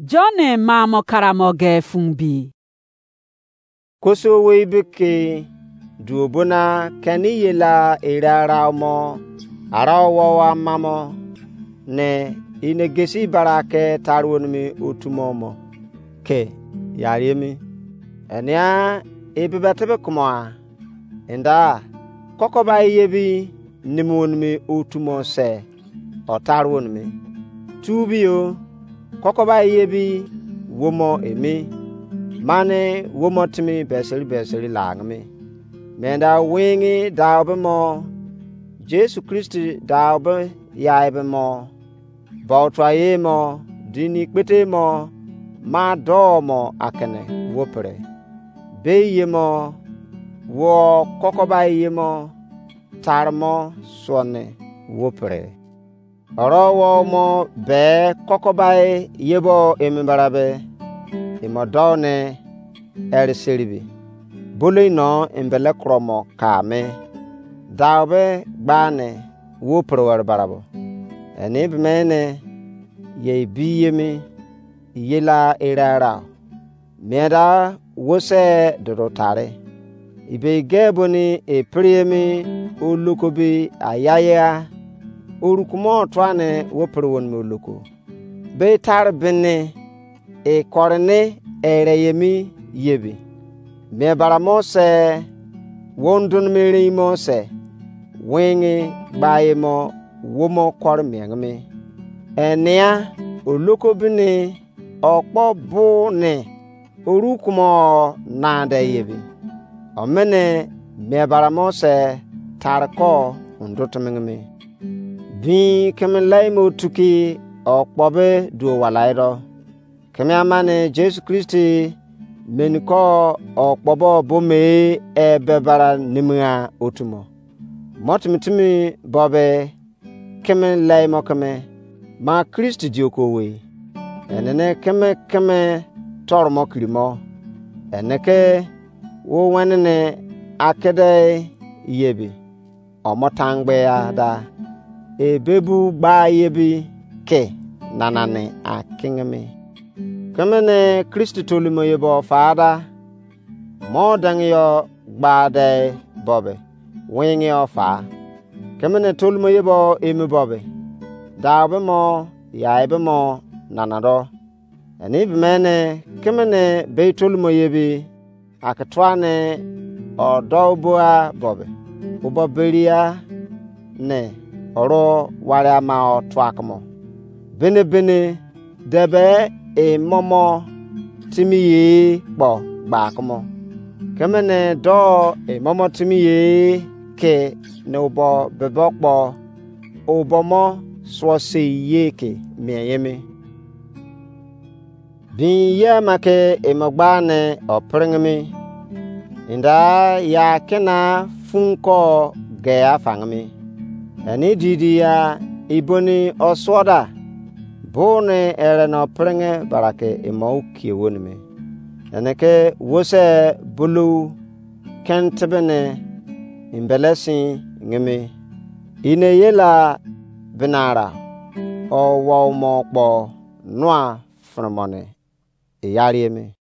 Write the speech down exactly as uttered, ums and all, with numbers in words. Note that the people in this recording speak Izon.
John mamo karamo ge fun bi. Koso wei be ke duo bona keni yela era rao mo arao wo amamo ne inegesi bara ke taruo nimi otumo mo ke yariemi. Enia ebebetebe kumo a enda kokoba eyebi nimi onimi otumo se otaruo nimi. Tu biyo, kokoba eyebi womo emi, mane womo timi beseri beseri lagimi. Menda wingi daube mo, Jesu Kristi daube yaibe mo, bautua ye mo, dini kpete mo, ma doo mo akene wo pre. Be ye mo, wo kokoba ye mo, tare mo suo ne wo pre. Oro wo mo be kokobai yebo emi barabe, imo dou ne ere seribi. Bolo ino embele kuro mo ka me. Dau be gba ne wo pre were barabo. Eni be me ne ye bi yemi yela era era. Mien da wo se dodo tare. Ibe ge boni e pre emi oloko be ayaya. Orukumo tuane wo pre wonmi oloko. Be tare bene e korene ere yemi yebi. Mien bara mo se wo ndon mi rein mo se. Wingi gba emo wo mo kore miengimi. Enia oloko bini okpo bu ne oru kumo na de yebi. Omene mie bara mo se tare ko undo timingimi. Bin keme lai mo tuki okpo be duo walai do. Keme amane Jesu Kristi meni ko okpo bo bo me e be bara nimia otumo. Mo timi timi bo be keme lai mo keme, ma Kristi di oku owei. Enene keme keme toro mo kiri mo. Ene ke wo wenene akede yebi. Omo tangbe ya da. Ebe bu gba yebi ke nanani akingimi. Keme ne Kristi tolumo yebo fa da. Mo dangi yo gba de bobe. Wingi yo fa. Keme ne tolumo yebo emi bobe. Dau be mo, yai be mo, nana do. Eni be mene, keme ne be tolumo yebi, ake tua ne odo bua bobe. Ubo beria ne oro wari ama o tua kumo. Bene bene debe e momo timi ye kpo gba kumo. Keme ne do e momo timi ye ke ne ubo bebe kpo ubo mo suo sei ye ke mien yemi. Bin ye ama ke emo gba ne o pringimi. Inda ya kena fun ko ge afangimi. Eni didi ya iboni osuo da. Bo ne ere no pringe barake emo ukie wonimi. Ene ke wose bulu ken tebene imbelesin ngimi. Ine yela binara o wo mo kpo nua fromone. Iyari emi.